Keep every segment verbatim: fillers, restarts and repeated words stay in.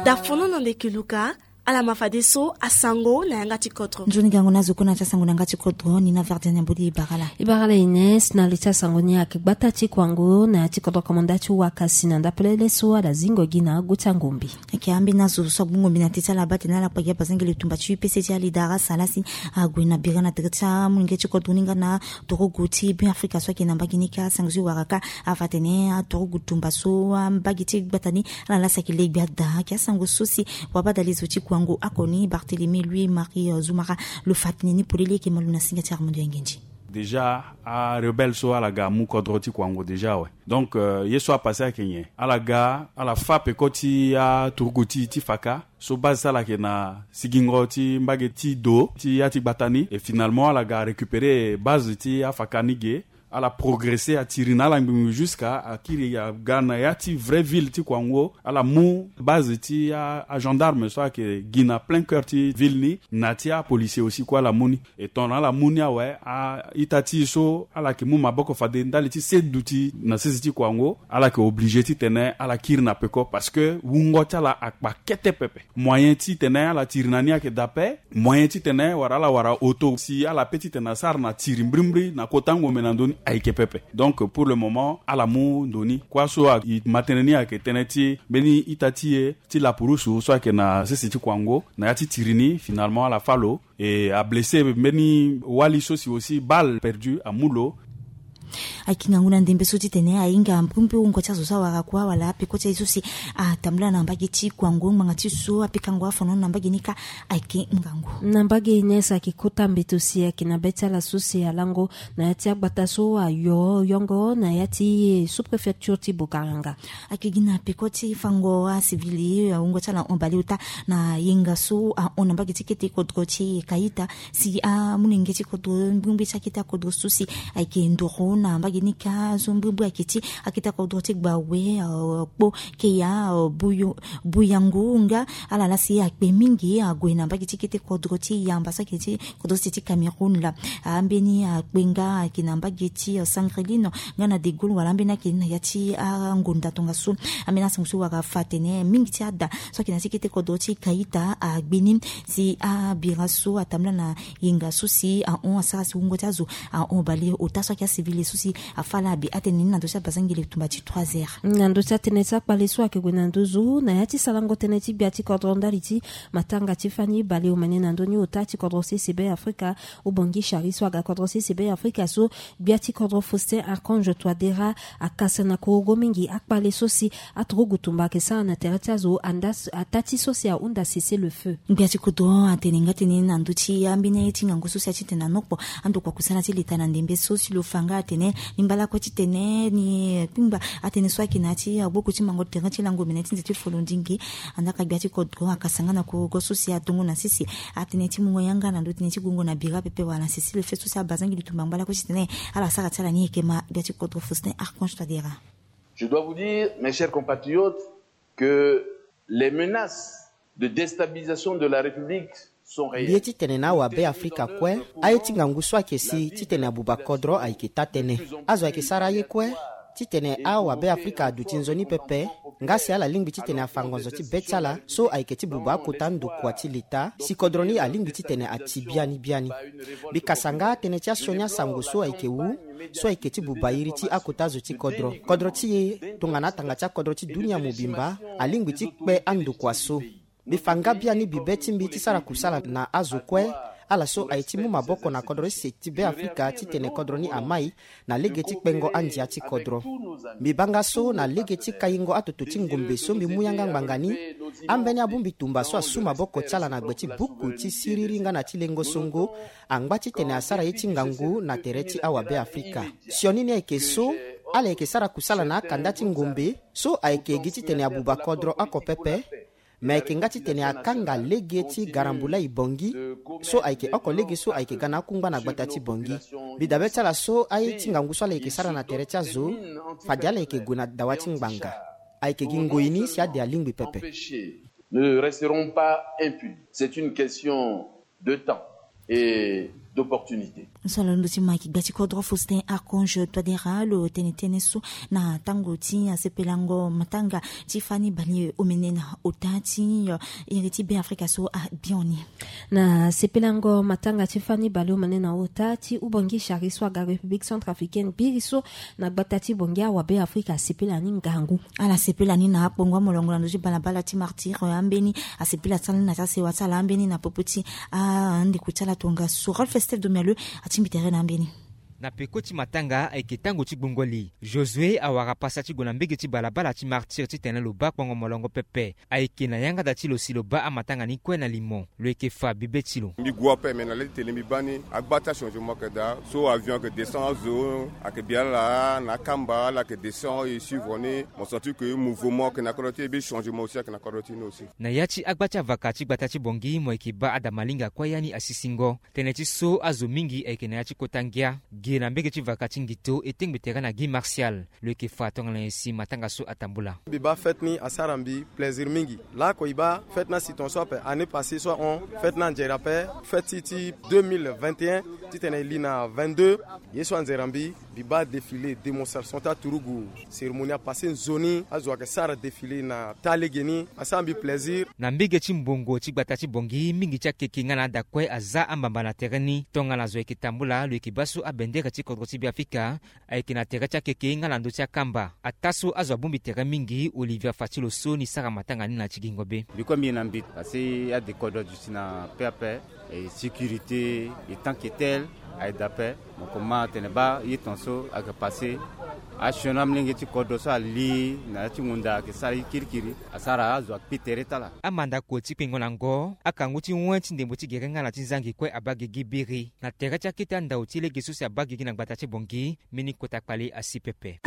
Dafono na ndeke luka. Ala ma fadeso asango na yanga ti kodro. Nzoni gango na zo kue na ti asango na yanga ti kodro ni na Verdiane Ambodi Ibarala. Ibarala Ines, na li ti asango ni ayeke gbata ti kuango na ya ti kodro komanda ti wakasi na ndapelele so ala zingo gi na agu ti angombi. Ayeke ambeni azo so agbongombi na ti ti ala baa tene ala kpa gi abazengele tumba ti U P C ti alidara sala si ague na bira na tere ti amolenge ti kodro ni nga na torogo ti Beafrika so ayeke na mbage ni ka. Asango so e wara ka afa tene atorogo tumba so ambage ti gbata ni ala laa si ayeke legbi ada. Ayeke asango so si wabadale zo ti kuango oko ni Barthélemy Louis Marie Zoumara lo fa tene ni polele ayeke malo na singa ti Armando Yangenji. Déjà arebelle so ala ga amu kodro ti kuango déjà awe. Donc euh, ye so apasse ayeke nyen? Ala ga ala fa peko ti aturugu ti ti faka so base ti ala ayeke na sigingo ti mbage ti do ti ya ti gbata ni. Et finalement ala ga arécupérer base ti afaka ni ge. Ala progresser atiri na ala ngbingbi jusqu'à akiri aga na ya ti vraie ville ti kuango. Ala mu base ti agendarme so ayeke gi na plein cœur ti ville ni, na ti apolicier aussi kue ala mu ni. E tongana ala mu ni awe, a-ita ti e so ala yeke mu maboko fade ndali ti se duti na sese ti kuango, ala yeke obligé titene ala kiri na peko parce que wungo ti ala akpa kete pepe. Moyen titene ala tiri na ni ayeke daa ape. Moyen titene wala ala wara auto si ala pe titene asara na tiri mbrimbri na kota ngombe na ndö ni ayeke pepe. Donc pour le moment ala mu ndo ni. Kua so e ma tënë ni ayeke tënë ti mbeni ita ti e ti lapurusu so ayeke na sese ti kuango na ya ti tiri ni, finalement ala fâ lo. E ablessé mbeni wali so si aussi balle perdu amu lo. Ayeke ngangu na ndembe so titene ahinga mbrimbri wungo ti azo so awara kua wala apeko ti aye so si atambula na mbage ti kuango ngbanga ti so apekango afono na mbage ni ka. Ayeke ngangu. Na mbage Ines ayeke kota mbeto si ayeke na be ti ala so si alango na ya ti agbata so ayo yongo na ya ti sous-préfecture ti Bukaranga. Ayeke gi na peko ti fango asivili awungo ti ala hon baleota na yenga so ahon na mbage ti kete kodro ti Kayita si amolenge ti kodro mbrimbri ti akete akodro so si ayeke ndoro na mbage ni ka so mbrimbri ayeke ti akete akodro ti Gbawe, euh, Kpo, Keya, euh, Buyo, Buyangu nga ala laa si akpe mingi ague na mbage ti kete kodro ti yamba so ayeke ti kodro ti Cameroun laa. Ambeni akpe nga ayeke na mbage ti, euh, Sangrelino nga na De Gaulle wala ambeni ayeke na ya ti angonda tongaso. Ambeni asango so wara fa atene mingi ti ada so ayeke na ya ti kete kodro ti Kayita agbe ni si abira so atambula na yenga so si ahon asara si wungo ti azo ahon baleota so ayeke asivili so si afâ ala abi atene ni na ndö ti abazengele tumba ti trois heures. Na ndö ti atënë ti akpale so ayeke gue na nduzu na ya ti sarango tënë ti gbia ti kodro ndali ti matanga ti fani baleomene na ndö ni ota ti kodro sese Beafrika. Obongi Chari so aga kodro sese Beafrika so gbia ti kodro Faustin Archange Touadéra akasa na korogo mingi akpale so si aturugu tumba ayeke sara na tere ti azo anda ataa ti so si ahunda cessez-le-feu. Gbia ti kodro atene nga tënë na ndö ti ambeni aye ti ngangu so si aye titene anokpo andokua kusana ti leta na ndembe so si lo fa nga atene ni mbala kue titene ni kpingba atënë so ayeke na ya ti agboku ti mango tere ti lango mene ti nze ti folondingi. Andaa ka gbia ti kodro akasa nga na korogo so si adongo na sese atënë ti mungo yanga na ndö tënë ti gongo na bira pepe wala na cessez-le-feu so si abazangi lutumba ngbala kue titene ala sara ti ala ni. Ayeke ma gbia ti kodro Faustin Archange Touadéra. Je dois vous dire, mes chers compatriotes, que les menaces de déstabilisation de la République sont réelles. Mbi ye titene na awabe Afrika kue, aye ti ngangu so ayeke si titene abuba kodro ayeke taa-tënë. Azo ayeke sara aye kue titene awabe Afrika aduti nzoni pepe nga si ala lingbi titene afa ngonzo ti be ti ala so ayeke ti buba akota ndokua ti leta si kodro ni alingbi titene ati biani biani. Mbi kasa nga tënë ti asioni asango so ayeke wu so ayeke ti buba iri ti akota zo ti kodro. Kodro ti e tongana atanga ti akodro ti dunia mobimba alingbi ti kpe andokua so. Mbi fa nga biani bibe ti mbi ti sara kusala na azo kue ala so aye ti mu maboko na kodro ti se ti Beafrika titene kodro ni amai na lege ti kpengo andia ti kodro. Mbi baa nga so na lege ti kaingo atoto ti ngombe so mbi mu yanga ngbanga ni, ambeni abongbi tumba so asu maboko ti ala na gbe ti buku ti siriri nga na ti lengo songo angba titene asara ye ti ngangu na tere ti awabe Afrika. Sioni ni ayeke so ala yeke sara kusala na akanda ti ngombe so ayeke gi titene abuba kodro oko pepe. Me ayeke nga titene akanga lege ti garambula e Bongi so ayeke oko lege so ayeke ga na akungba na gbata ti Bongi. Mbi dabe ti ala so aye ti ngangu so ala yeke sara na tere ti azo fade ala yeke gue na dawa ti ngbanga. Ayeke gi ngoi ni si ade alingbi pepe. Ne resteront pas impunis. C'est une question de temps. Et d'opportunité. So alondo ti ma ki gba ti kodro Faustin Archange Touadéra lo tene tënë so na tango ti asepelango matanga ti fani bale omene na ota ti iri ti Be Afrika so abioni. Na sepelango matanga ti fani bale omene na ota ti Ubangui Chari so aga République Centrafricaine biri so na gbata ti Bangui awabe Afrika asepela ni ngangu. Ala sepela ni na akpongo amolongo na ndö ti balabala ti Martyrs, eh, ambeni asepela ti ala ni na ti asewa ti ala ambeni na popo ti andeko ti ala tongaso. Rolf Esteve Domialeux atingbi tere na ambeni. Na peko ti matanga ayeke tango ti gbongo li, Josué awara pasa ti gue na mbege ti balabala ti Martyrs titene lo baa akpongo molongo pepe. Ayeke na yanga daa ti lo si lo baa amatanga ni kue na limo, lo yeke fa bibe ti lo. Mbi gue ape, me na le ti tene mbi baa ni agba ti achangement ayeke daa. So avion ayeke descend azo, ayeke bi ala na akamba, ala ayeke descend e suivre ni. Mo senti que mouvement ayeke na kodro ti e, mbi changement aussi ayeke na kodro ti ni aussi. Na ya ti agba ti avaka ti gbata ti Bangui, mo yeke baa ada malinga kue ya ni asisingo. Tënë ti so azo mingi ayeke na ya ti kota ngia ge na mbege ti vaka ti Ngito e tengbe tere na Guy Martial. Lo yeke fa tongana nyen si matanga so atambula. Mbi baa fête ni asara mbi plaisir mingi. Laoko e baa fête ni asi tongaso ape, année passée so ahon fête ni anzere ape, fête ti, ti deux mille vingt et un titene e li na vingt-deux. Ye so anzere na mbi, mbi baa défilé, démonstration ti aturugu, cérémonie apassé nzoni, azo ayeke sara défilé na taa lege ni, asara mbi plaisir. Na mbege ti mbongo ti gbata ti Bangui, mingi ti akeke nga na ada kue aza ambamba na tere ni. Tongana zo yeke tambula, lo yeke baa so abendere ti kodro ti Beafrika ayeke na tere ti akeke nga na ndö ti akamba. Ataa so azo abongbi tere mingi, Olivier afa ti lo so ni sara matanga ni na ti gingo be. Mbi kue mbi ye na mbi, parce que adekodro duti na pe ape. Et sécurité, et tant que tel, aye daa ape. Mo koma tene baa ye tongaso ayeke passé, asioni amolenge ti kodro so ali na ya ti ngunda ayeke sara ye kirikiri, asara azo akpi tere ti ala. Amandako ti kpengo na ngo, akangu ti wen ti ndembo ti gere nga na ti zangi kue abaa gigi biri. Na tere ti akete andao ti lege so si abaa gigi na gbata ti Bangui, mbeni kota kpale asi pepe.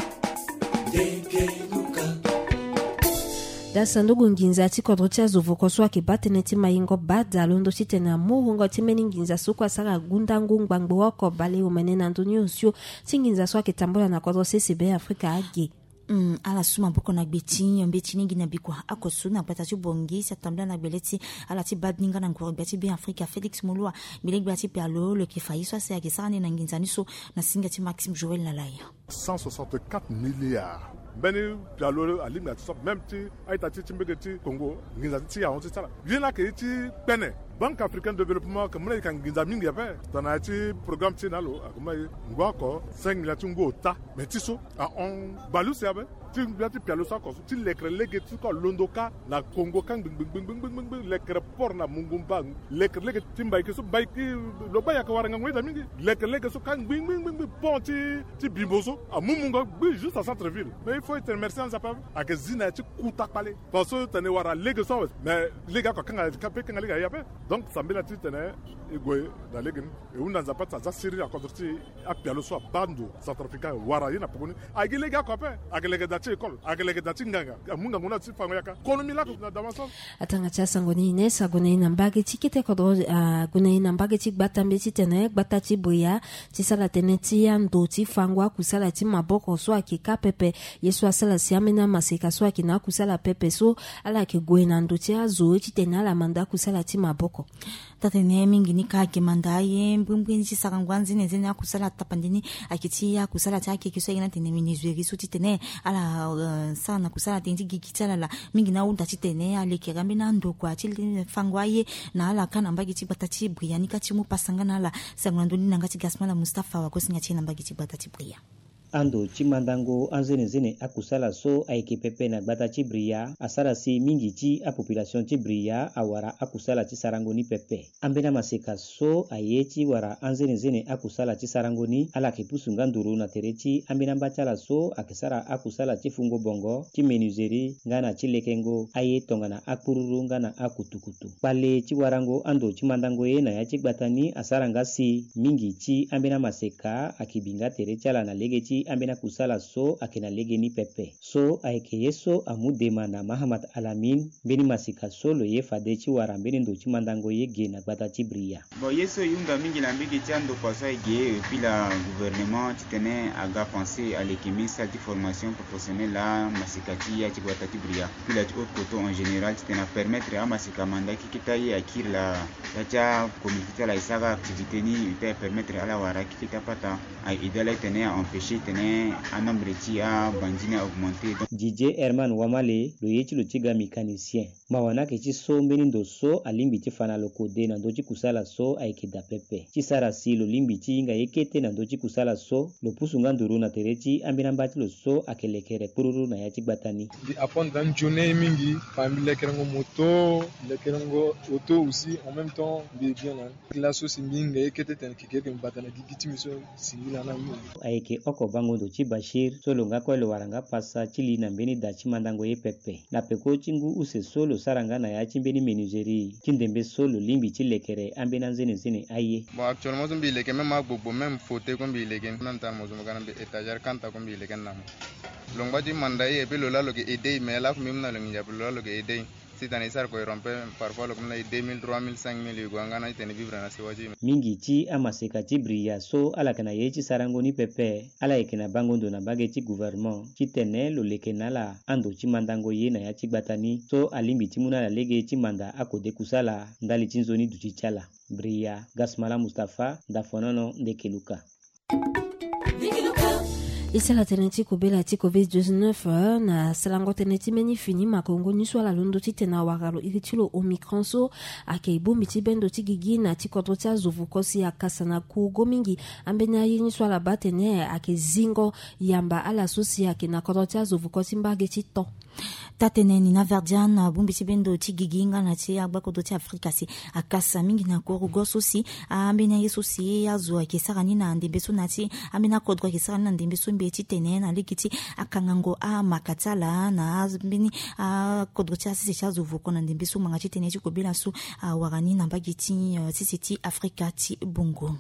Daa sanduku nginza ti kodro ti azo voko so ayeke baa tënë ti mayingo bada londo titene amu wungo ti mbeni nginza so kue asara gundangu ngbangbo oko baleomene na ndö ni osio ti nginza so ayeke tambula na kodro sese Beafrika age. Hmm, ala su maboko na gbe ti nyon mbeti ni gi na bikua oko so na gbata ti Bangui si atambula na gbele ti ala ti badinga na nguru gbia ti Beafrika Félix Moloua, gbele gbia ti pialo lo yeke fa ye so asi ayeke sara ni na nginza ni so na singa ti Maxime Joël Lalaya. Cent soixante-quatre milliards. Mbeni pialo alingbi na ti so même ti a-ita ti ti mbege ti Congo, nginza ti ahon ti sara ye ni ayeke ye ti kpene. Banque africaine de développement ayeke mu na e ka nginza mingi ape. Tongana ya ti programme ti e na lo ayeke mu na e ngu oko cinq milliards ti ngu ota. Mais ti so ahon baleuse ape. Ti gbia ti pialo so oko so ti lekere lege ti so kue alondo kâ na Congo kâ ngbi ngbi ngbi ngbi ngbi ngbi lekere port na Mungumba. Lekere lege ti mbaiki so mbaiki lo baa e ayeke wara ngangu ita mingi. Lekere lege so kâ ngbi ngbi ngbi ngbi pont ti ti bimbo so amu mungo gbi juste à centre ville. Mais il faut e tene merci anzapa. Ayeke zi na ya ti kuta kpale. Parce que tene e wara lege so awe mais lege oko akanga ka pe kanga lege aye ape. Donc sambela ti tene e gue na lege ni. E hunda Nzapa ti aza siriri na kodro ti e. Apialo so abaa ndo centrafricain wara ye na poko ni. Ayeke lege oko ape. Ayeke lege da ti école, ayeke lege da ti nganga. Amu ngangu na ti fango yaka konomi lako na dama so. Atanga ti asango ni Ines ague na e na mbage ti kete kodro, ague na e na mbage ti gbata mbeti titene gbata ti Bria ti sara tënë ti ando ti fango akusala ti maboko so ayeke kâ pepe. Ye so asara si ambeni amaseka so ayeke na akusala pepe so ala yeke gue na ndo ti azo titene ala manda akusala ti maboko. Taa-tene mingi ni kâ ayeke manda aye mbirimbiri ni ti sarango anzenenzene akusala tapande ni ayeke ti akusala ti akeke so ayeke na tene menuiserie so titene ala, eh, sara na kusala tënë ti gigi ti ala laa. Mingi ni ahunda titene alekere ambeni andokua ti fango aye na ala kâ na mbage ti gbata ti Bria ni kâ ti mu pasa nga na ala. Sango na ndö ni na yanga ti Gasmala Mustapha wagosinga ti e na mbage ti gbata ti Bria. Ando ti mandango anzenenzene akusala so ayeke pepe na gbata ti Bria asara si mingi ti apopulation ti Bria awara akusala ti sarango ni pepe. Ambeni amaseka so aye ti wara anzenenzene akusala ti sarango ni ala yeke pusu nga nduru na tere ti ambeni amba ti ala so ayeke sara akusala ti fungo bongo, ti menuiserie nga na ti lekengo aye tongana akpururu nga na akutukutu. Kpale ti warango ando ti mandango ye na ya ti gbata ni asara nga si mingi ti ambeni amaseka ayeke bi nga tere ti ala na lege ti Ti ambeni akusala so ayeke na lege ni pepe. So ayeke ye so amu dema na Mahamat Alamin, mbeni masika so lo ye fade ti wara mbeni ndo ti mandango ye ge na gbata ti Bria. Bon, ye so e hunda mingi na mbege ti andokua so aye ge, e pila gouvernement titene aga pensé aleke mbeni salle ti formation professionnelle amasika ti ya ti gbata ti Bria. Pila ti haute koto en général titene apermettre amasika amanda kikita ye akiri laa. Ya ti acommunauté ti ala e sara activité ni e ta e permettre ala wara kikita pata. Aye aidé ala titene aempêcher titene anombre ti abandi ni a augmenter. Donc Didier Herman Wamale, lo ye ti lo ti ga mécanicien. Mawa ni ayeke ti so mbeni ndo so alingbi ti fa na lo kode na ndö ti kusala so ayeke daa pepe. Ti sara si lo lingbi ti hinga ye kete na ndö ti kusala so, lo pusu nga nduru na tere ti ambeni amba ti lo so ayeke lekere kpururu na ya ti gbata ni. Mbi apprendre nzoni mingi, fa mbi lekerengo moto, lekerengo auto aussi en même temps, mbi bien na ni. Laso si mbi hinga ye kete tene keke yeke mbi bata na gigi ti mbi so. Singila na mbi. Ayeke oko bango ndo ti Bachir so lo nga kue lo wara nga pasa ti li na mbeni da ti mandango ye pepe. Na peko ti ngu use so lo sara nga na ya ti mbeni menuiserie ti ndembe so lo lingbi ti lekere ambeni anzenenzene aye. Bon, actuellement so mbi leke même agbogbo, même fauteuil kue mbi leke ni, même tana mo zo mo ga na mbi étagère kanta kue mbi leke ni na mo. Lo ngba ti manda ye et puis lo laa lo yeke aidé ye, mais laku mbi mu na lo nginza pe lo laa lo yeke aidé ye. Titene e sara koyron pe, parfois lo ke mu na e deux mille, trois mille, cinq mille, e gue nga na e tene vivre na sewa ti e. Mingi ti amaseka ti Bria so ala yeke na ye ti sarango ni pepe, ala yeke na bango ndo na mbage ti gouvernement titene lo leke na ala ando ti mandango ye na ya ti gbata ni so alingbi ti mu na ala lege ti manda akode kusala ndali ti nzoni duti ti ala. Bria, Gasmala Mustapha, Dafonono, Ndekeluka. E sara tënë ti kobela ti covid dix-neuf, eh, na sarango tënë ti mbeni fini makongo ni so ala londo titene awara lo iri ti lo Omicron so ayeke bongbi ti bendo ti gigi na ti kodro ti azo vuko si akasa na kugo mingi. Ambeni aye ni so ala baa atene ayeke zingo yamba ala so si ayeke na kodro ti azo vuko ti mbage ti to. Taa-tënë ni na Verdian, bongbi ti bendo ti gigi nga na ti agbakodro ti Afrika si akasa mingi na korogo so si ambeni aye so si azo ayeke sara ni na ndembe so na ti ambeni akodro ayeke sara ni na ndembe so mbi ye titene na lege ti akangango amaka ti ala na ambeni akodro ti asese ti azo voko na ndembe so ngbanga ti tënë ti kobela so awara ni na mbage ti, eh, sese ti Afrika ti bongo.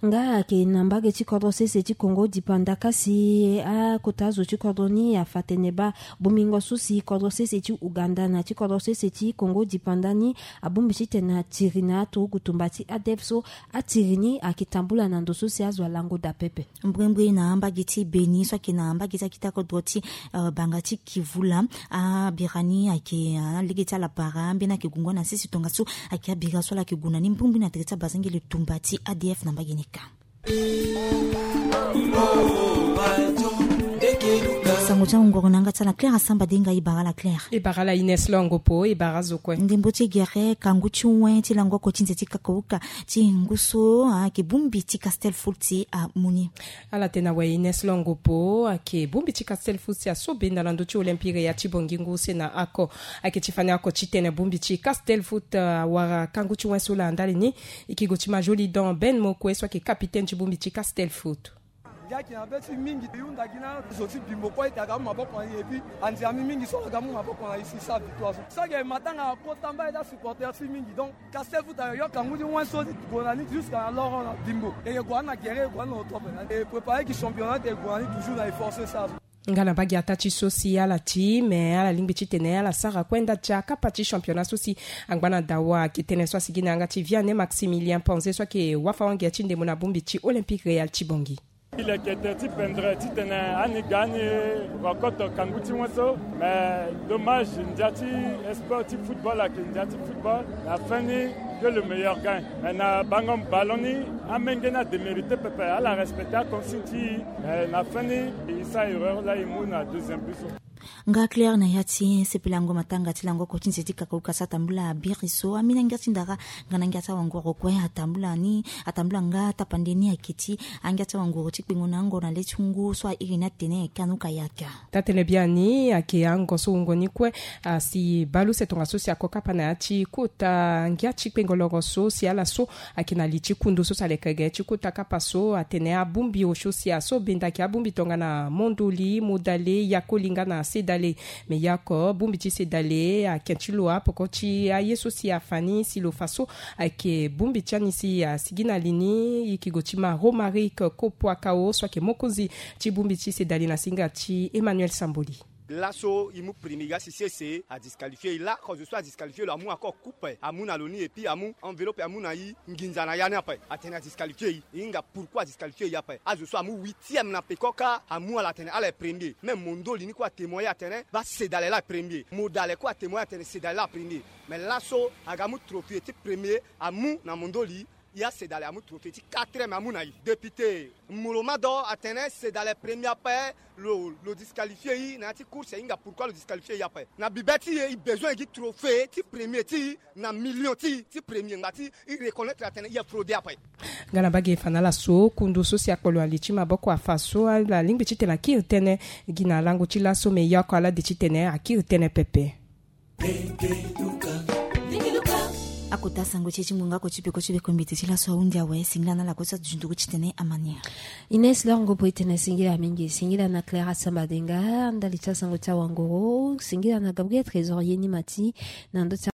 Nga ayeke na mbage ti kodro sese ti Kongo dipanda kasi akota azo ti kodro ni afa tene baa bongbingo so si kodro sese ti Uganda na ti kodro sese ti Kongo dipanda ni abongbi titene atiri na aturugu tumba ti A D F so atiri ni ayeke tambula na ndo so si azo alango daa pepe. Mbrimbri na mbage ti Beni so ayeke na mbage ti akita kodro ti, eh, Banga ti Kivula, abira ni ayeke, ah, lege ti ala bara ambeni ayeke gungo na sese tongaso ayeke abira so ala yeke gue na ni mbrimbri na tere ti abazengele tumba ti A D F na mbage ni kâ. Sango ti angongoro na yanga ti ala Claire Asamba Denga. E bara ala Claire. E bara ala Ines Longo Po. E bara azo kue. Ndembo ti gere kangu ti wen ti lango oko ti nze ti kakauka ti ngu so ayeke bongbi ti Castel Fulti amu ni. Ala tene awe Ines Longo Po ayeke bongbi ti Castel Fulti aso benda na ndö ti Olympique ya ti Bangui ngu use na ako. Ayeke ti fani oko titene bongbi ti Castel Foot, ah, awara kangu ti wen so laa ndali ni. E ke gue ti Majolidon Ben Mokue so ayeke capitaine ti bongbi ti Castel Foot. Ngia ayeke na be ti mingi, e hunda gi na zo ti Bimbo kue ete aga mu maboko na e, et puis andia mbi mingi so aga mu maboko na e si e sara victoire so. So ayeke matanga akota mbai ti asupporter ti e mingi, donc Castel Foot ayoyo kangu ti wen so ti gue na ni jusqu'à na loro na Bimbo. E yeke gue na ni na gere, e yeke gue na ni na oto ape. E préparer gi championnat, e gue na ni toujours na e force sara so. Nga na mbage ataa ti so si ala ti, mais ala lingbi titene ala sara kue nda ti akapa ti championnat so si angba na dawa. Ayeke tënë so asigi na yanga ti Vianney Maximilien Ponze so ayeke wafa-wange ti ndembo na bongbi ti Olympique Real ti Bangui. E leke tere ti pendre titene ani ga ani rencontre kangu ti wen so, mais dommage, ndia ti sport ti football ayeke ndia ti football, na fin ni que le meilleur gagne. Mais na bango ballon ni, amenge ni adémérité pepe, ala respecter aconsigne ti e, mais na fin ni e sara erreur laa e mu na deuxième but so. Nga Claire na ya ti sepelango matanga ti lango oko ti nze ti kakauka so atambula biri so, ambeni angia ti ndara nga na angia ti awangoro kue atambula ni, atambula nga tapande ni ayeke ti angia ti awangoro ti kpengo na ango na le ti ngu so airi ni atene Kanu Kayak. Taa-tënë biani ayeke ango so wungo ni kue, ah, si bale use tongaso si ako kapa na ya ti kota ngia ti kpengo Kpoloro so si ala so ayeke na li ti kundu so si aleke ge ti kota kapa so atene abongbi osio si aso benda ayeke abongbi tongana mondoli, modale, yakoli nga na sedale. Me ya oko bongbi ti sedale ayeke ti lo apoko ti aye so si afa ni si lo fa so ayeke bongbi ti ani si asigi na li ni. E yeke gue ti ma Romaric Kopuakao so ayeke mokonzi ti bongbi ti sedale na singa ti Emmanuel Samboli. Laso e mu premier ga si sese adisqualifie e. Lako zo so adisqualifie lo amu encore coupe amu na lo ni et puis amu enveloppe amu na e. Nginza na ya ni ape atene adisqualifie e. E hinga pourquoi adisqualifie e ape. Azo so amu huitième na peko kâ amu ala atene ala ye premier. Même mondoli ni kue atémoigner atene baa sedale laa premier. Modale kue atémoigner atene sedale laa premier. Mais laso aga amu trophée ti premier amu na mondoli. Ya sedale amu trophée ti quatrième amu na e. Député Molo Mado atene sedale premier ape. Lo, lo disqualifie e na ya ti course e hinga pourquoi lo disqualifie e ape. Na bibe ti e e besoin e gi trophée ti premier ti e na million ti e ti premier ngba ti e reconnaître atene e aye fraude ape. Nga na mbage e fa na ala so kundu so si akpolo na li ti maboko afa so ala lingbi titene akiri tënë gi na lango ti laso. Me ya oko ala de titene akiri tënë pepe. Akota sango ti e ti ngonga oko ti peko ti bekombete ti laso ahunzi awe. Singila na ala kue so ati zunduku titene amania. Ines Longo po e tene singila mingi. Singila na Clara Sambadenga ndali ti asango ti awangoro. Singila na Gabriel Trésor ye ni mati na ndo ti